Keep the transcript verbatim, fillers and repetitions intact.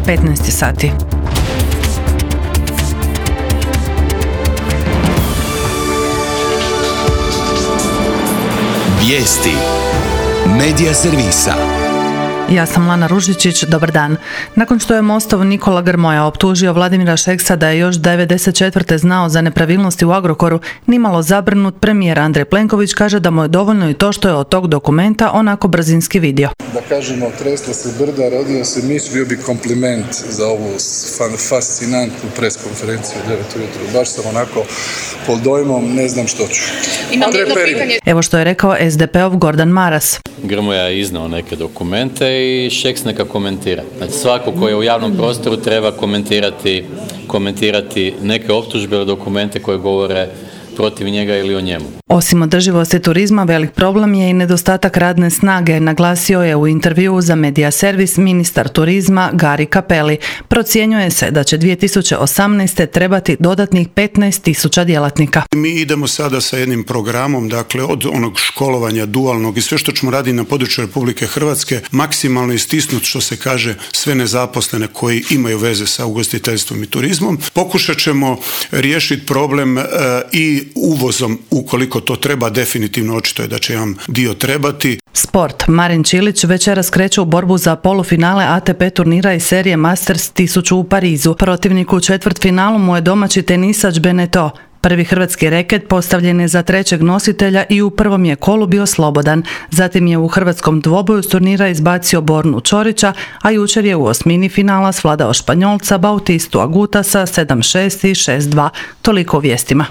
petnaest sati. Vijesti Medija servisa. Ja sam Lana Ružičić, dobar dan. Nakon što je Mostov Nikola Grmoja optužio Vladimira Šeksa da je još devedeset četvrte znao za nepravilnosti u Agrokoru, nimalo zabrinut, premijer Andrej Plenković kaže da mu je dovoljno i to što je od tog dokumenta onako brzinski vidio. Da kažemo, tresla se brda, rodio se miš, bio bi kompliment za ovu fascinantnu preskonferenciju u devet ujutro. Baš sam onako pod dojmom, ne znam što ću. Evo što je rekao es de pe ov Gordan Maras. Grmoja je iznao neke dokumente i Šeks neka komentira. Znači svako koji je u javnom prostoru treba komentirati, komentirati neke optužbe ili dokumente koje govore protiv njega ili o njemu. Osim održivosti turizma, velik problem je i nedostatak radne snage, naglasio je u intervjuu za Medija servis ministar turizma Gari Cappelli. Procjenjuje se da će dvije tisuće osamnaeste. trebati dodatnih petnaest tisuća djelatnika. Mi idemo sada sa jednim programom, dakle od onog školovanja dualnog i sve što ćemo raditi na području Republike Hrvatske, maksimalno istisnuti, što se kaže, sve nezaposlene koji imaju veze sa ugostiteljstvom i turizmom. Pokušat ćemo riješiti problem e, i uvozom, ukoliko to treba, definitivno očito je da će vam dio trebati. Sport. Marin Čilić večeras kreće u borbu za polufinale a te pe turnira iz serije Masters tisuću u Parizu. Protivnik u četvrtfinalu mu je domaći tenisač Beneteau. Prvi hrvatski reket postavljen je za trećeg nositelja i u prvom je kolu bio slobodan. Zatim je u hrvatskom dvoboju s turnira izbacio Bornu Čorića, a jučer je u osmini finala svladao Španjolca Bautistu Agutasa sedam šest i šest dva. Toliko u vijestima.